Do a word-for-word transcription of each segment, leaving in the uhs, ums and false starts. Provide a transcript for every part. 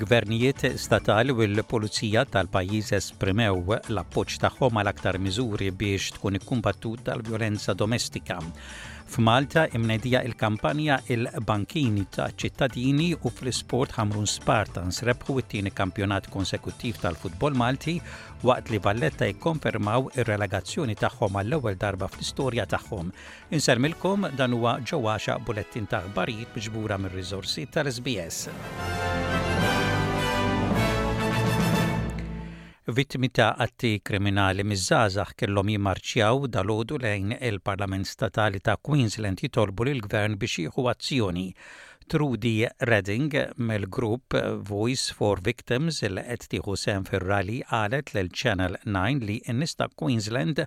Il-gvernijiet statali u l-pulizija tal-pajjiż esprimew l-appoġġ tagħhom għal aktar miżuri biex tkun ikkumbattuta l-vjolenza domestika. F'Malta imnedija il-kampanja Il-Bankini taċ-Ċittadini u fl-isport Ħamrun Spartans rebħu it-tieni kampjonat konsekuttiv tal-futbol Malti waqt li Valletta jikkonfermaw ir-relegazzjoni tagħhom għall-ewwel darba fl-istorja tagħhom. Insellmilkom dan huwa ġewwaxa bulettin ta' aħbarijiet miġbura mir-riżorsi tal-SBS. Vittmi ta' atti kriminali miż-żgħażagħ kellhom jimmarċjaw dalgħodu lejn il-Parlament Statali ta' Queensland jitolbu lill-Gvern biex jieħu azzjoni. Trudy Redding mill-grupp Voice for Victims li qed tieħu sehem fir-rally qalet lil Channel nine li n-nies ta' Queensland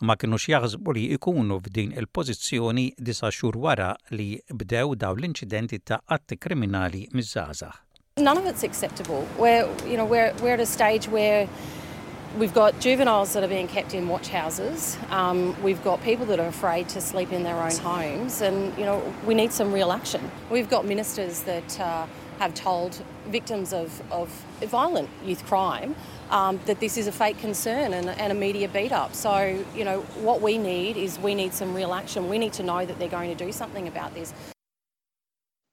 ma kinux jaħsbu li jkunu f'din il-pożizzjoni disa' xhur wara li bdew dawn l-inċidenti ta' atti kriminali miż-żgħażagħ. None of it's acceptable. We're, you know, we're, we're at a stage where we've got juveniles that are being kept in watch houses. Um, we've got people that are afraid to sleep in their own homes, and you know, we need some real action. We've got ministers that uh, have told victims of, of violent youth crime um, that this is a fake concern and, and a media beat up. So, you know, what we need is we need some real action. We need to know that they're going to do something about this.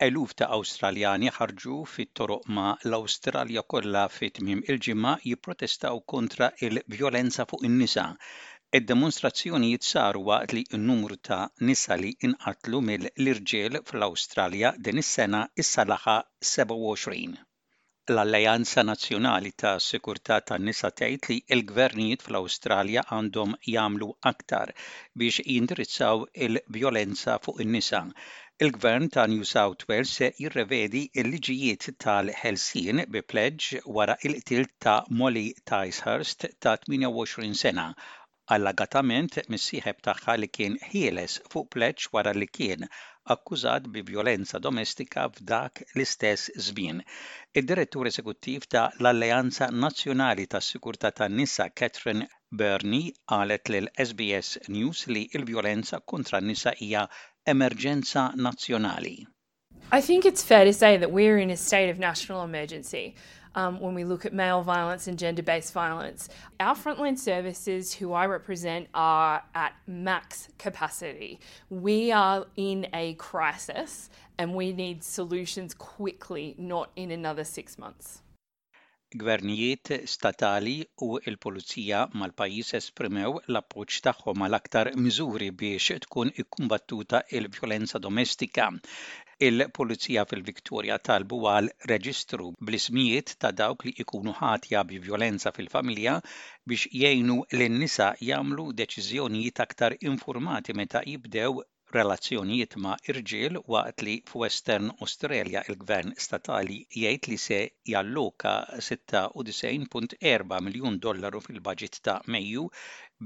Eluf ta' Awstraljani ħarġu fit-toroq ma' l-Awstralja kollha fi tmiem il-ġimgħa jipprotestaw kontra il-vjolenza fuq in-nisa. Id-demonstrazzjonijiet saru waqt li n-numru ta' nisa li inqatlu mill-irġiel fl-Awstralja din is-sena issa laħaq sebgħa u għoxrin. L-Alleanza Nazzjonali ta' Sikurtà tan-Nisa tgħid li l-gvernijiet fl-Awstralja għandhom jagħmlu aktar biex jindirizzaw il-vjolenza fuq in-nisa. Il-Gvern ta' New South Wales se jirrevedi l-liġijiet tal-ħelsien bi pleġġ wara il-qtil ta' Molly Ticehurst ta' tmienja u għoxrin sena, allegatament mis-sieħeb tagħha li kien ħieles fuq pleġġ wara li kien akkużat bi vjolenza domestika f'dak l-istess żmien. Id-direttur eżekuttiv ta' l-Alleanza Nazzjonali tas-Sikurtà tan-Nisa Catherine Birnie qalet lil S B S News li l-vjolenza kontra n-nisa hija emerġenza nazzjonali. I think it's fair to say that we're in a state of national emergency. Um, when we look at male violence and gender-based violence. Our frontline services, who I represent, are at max capacity. We are in a crisis and we need solutions quickly, not in another six months. Gvernijiet statali u l-pulizija mal-pajjiż esprimew l-appoġġ tagħhom għal aktar miżuri biex tkun ikkumbattuta il-vjolenza domestika. Il-pulizija fil-Viktoria talbu għal reġistru bl-ismijiet ta' dawk li ikunu ħatja bi vjolenza fil-familja biex jgħinu lin-nisa jagħmlu deċiżjonijiet aktar informati meta jibdew relazzjonijiet ma' irġiel waqt li f'Western Australia il-Gvern statali jgħid li se jalloka sitta u disgħin punt erba' miljun dollaru fil-baġit ta' Mejju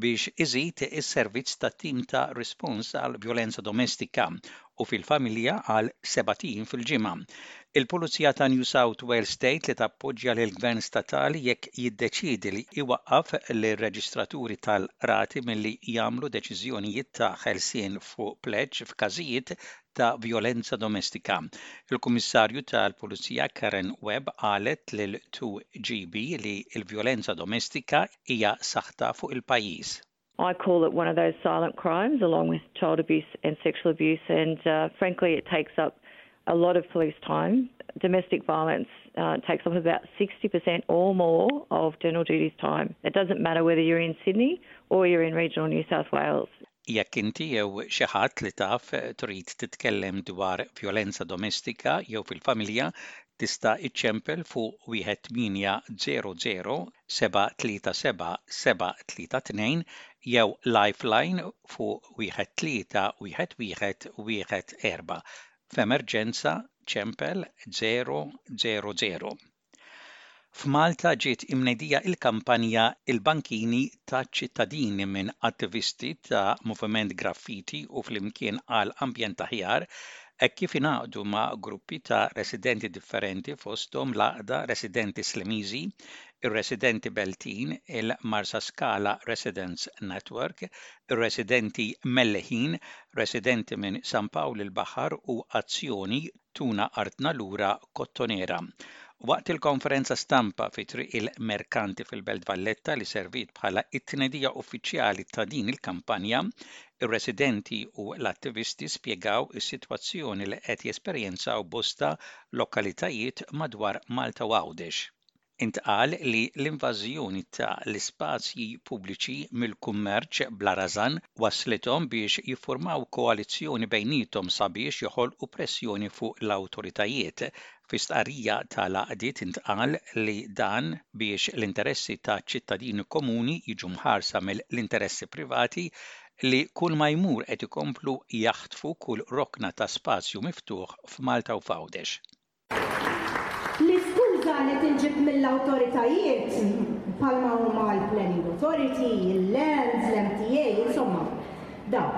biex iżid is-servizz ta' tim ta' rispons għal vjolenza domestika u fil-familja għal sebat ijiem fil-ġimgħa. Il-Pulizija ta' New South Wales tgħid li tappoġġja lil gvern statali jekk jiddeċiedi li iwaqqaf lir-reġistraturi tal-qrati milli jagħmlu deċiżjonijiet ta' ħelsien fuq pleġġ f'każijiet ta' vjolenza domestika. Il-Kummissarju tal-Pulizija Karen Webb qalet lil two G B li l-vjolenza domestika hija saħta fuq il-pajjiż. I call it one of those silent crimes, along with child abuse and sexual abuse, and, uh, frankly it takes up a lot of police time. Domestic violence, uh, takes up about sixty percent or more of general duties time. It doesn't matter whether you're in Sydney or you're in regional New South Wales. Jekk inti jew xi ħadd li taf trid titkellem dwar vjolenza domestika jew fil-familja, tista' iċċempel fuq wieħed tmienja zero zero seba' tlieta seba' seba' tlieta tnejn jew Lifeline fuq wieħed tlieta wieħed wieħed wieħed erba'. F'emerġenza ċempel zero zero zero. F'Malta ġiet imnedija il-kampanja Il-Bankini taċ-ċittadini minn attivisti ta' Moviment Graffiti u flimkien għal ambjent aħjar, hekk kif ingħaqdu ma' gruppi ta' residenti differenti fosthom l-Għaqda Residenti Slimiżi, ir-Residenti Beltin, il-Marsaskala Residents Network, ir-Residenti Melleħin, Residenti minn San Pawl il-Baħar u Azzjoni Tuna Artna Lura Kottonera. Waqt il-konferenza stampa fi Triq il-Merkanti fil-Belt Valletta li servit bħala it-tnedija uffiċjali ta' din il-kampanja, ir-residenti u l-attivisti spjegaw is-sitwazzjoni li qed jesperjenzaw bosta lokalitajiet madwar Malta u Għawdex. Intqal li l-invażjoni ta' l-ispazji pubbliċi mill-kummerċ bla rażan waslithom biex jiffurmaw koalizzjoni bejniethom sabiex joħolqu pressjoni fuq l-awtoritajiet. Fi stqarrija tal-għaqdiet intqal li dan biex l-interessi ta' ċittadini komuni jiġu mħarsa mill-interessi privati li kull ma jmur qed ikomplu jaħtfu kull rokna ta' spazju miftuħ f'Malta u f'Għawdex. L-iskuża li tinġib mill-awtoritajiet bħalma huma l-Planning Authority, il-Lands, l-M T A, insomma, daw.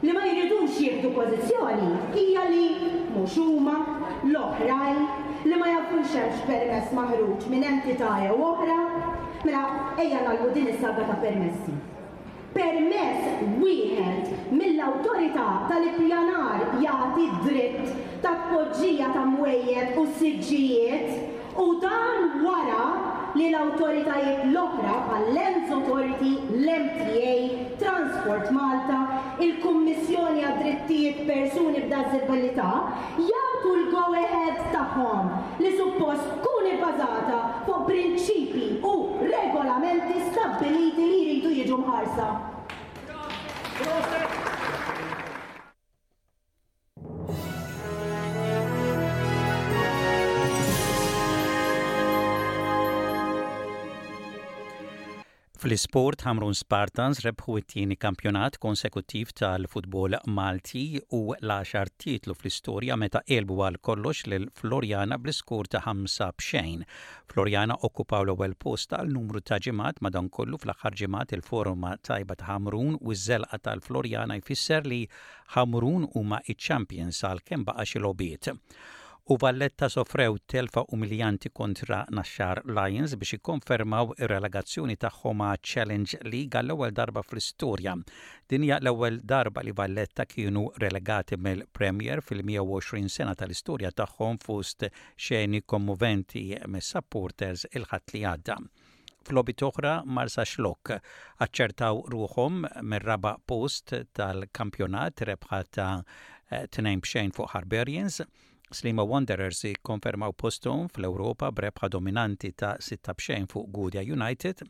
Li ma jridux jieħdu pożizzjoni hija li mhux huma l-oħrajn, li ma jafux hemmx permess maħruġ minn entità jew oħra, mela ejja nagħlqu din is-saga ta' permessi. Permess wieħed mill-awtorità tal-ippjanar jagħti dritt ta' tpoġġija ta' mwejjed u siġġijiet, u dan wara li l-awtoritajiet l-oħra bħal-Lands Authority, l-M T A, Transport Malta, il-Kummissjoni għad-Drittijiet Persuni b'Diżabilità jagħtu l-go-ahead tagħhom li suppost tkun ibbażata fuq prinċipi u regolamenti stabbiliti li jridu jiġu mħarsa. Fl-isport, Hamrun Spartans rebħu it-tieni kampjonat konsekuttiv tal-futbol Malti u l-għaxar titlu fl-istorja meta għelbu għal kollox lil Floriana bl-iskur ta' ħamsa b'xejn. Floriana okkupaw l-ewwel post għal numru ta' ġimgħat, madankollu fl-aħħar ġimgħat il-forma tajba ta' Hamrun u ż-żelqa tal-Floriana jfisser li Hamrun huma iċ-champions għal kemm baqa' xi logħbiet. U Valletta sofrew telfa umiljanti kontra Naxxar Lions biex ikkonfermaw ir-relegazzjoni tagħhom ma' Challenge League għall-ewwel darba fl-istorja. Din hija l-ewwel darba li Valletta kienu relegati mill-Premier fil-mija u għoxrin sena tal-istorja tagħhom, fost xeni kommoventi mis-supporters il-Ħadd li għadda. F'logħbiet oħra, Marsaxlokk aċċertaw ruħhom mir-raba' post tal-kampjonat b'rebħa ta' tnejn b'xejn fuq Harbarians. Sliema Wanderers ikkonfermaw posthom fl-Ewropa b'rebħa dominanti ta' sitta b'xejn fuq Gudja United.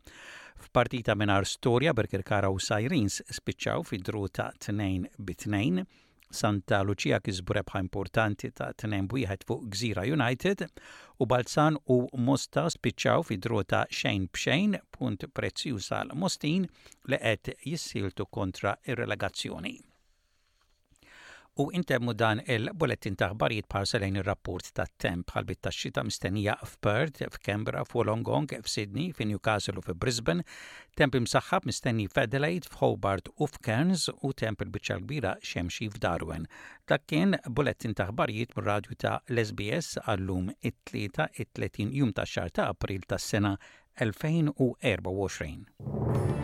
F'partita mingħajr storja, Birkirkara u Sirens spiċċaw fi draw ta' tnejn bi tnejn. Santa Lucia kisbu rebħa importanti ta' tnejn b'wieħed fuq Gżira United u Balzan u Mosta spiċċaw fi draw ta' xejn b'xejn, punt prezzjuż għal Mostin li qed jissieltu kontra ir-relegazzjoni. U intemmu dan il-bulletin ta' aħbarijiet b'ħarsa lejn ir-rapport tat-temp. Ħalbiet tax-xita mistennija f'Perth, f'Canberra, f'Wollongong, f'Sydney, f'Newcastle u f'Brisbane, temp imsaħħab mistenni f'Adelaide, f'Hobart u f'Cairns u temp il-biċċa kbira xemxi f'Darwin. Dak kien bulletin ta' aħbarijiet mir-radju ta' l-S B S għallum it-tlieta it-tletin jum ta' xahar ta' April tas-sena elfejn u erbgħa u għoxrin.